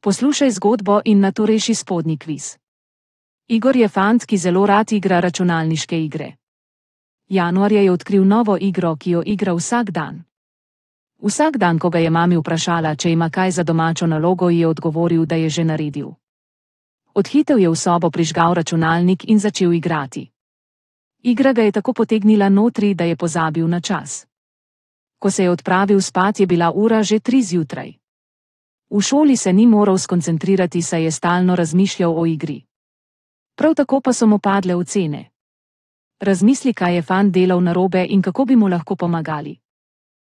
Poslušaj zgodbo in nato reši spodnji kviz. Igor je fant, ki zelo rad igra računalniške igre. Januarja je odkril novo igro, ki jo igra vsak dan. Vsak dan, ko ga je mami vprašala, če ima kaj za domačo nalogo, ji je odgovoril, da je že naredil. Odhitel je v sobo, prižgal računalnik in začel igrati. Igra ga je tako potegnila notri, da je pozabil na čas. Ko se je odpravil spat, je bila ura že 3 zjutraj. V šoli se ni moral skoncentrirati, saj je stalno razmišljal o igri. Prav tako pa so mu padle ocene. Razmisli, kaj je fant delal narobe in kako bi mu lahko pomagali.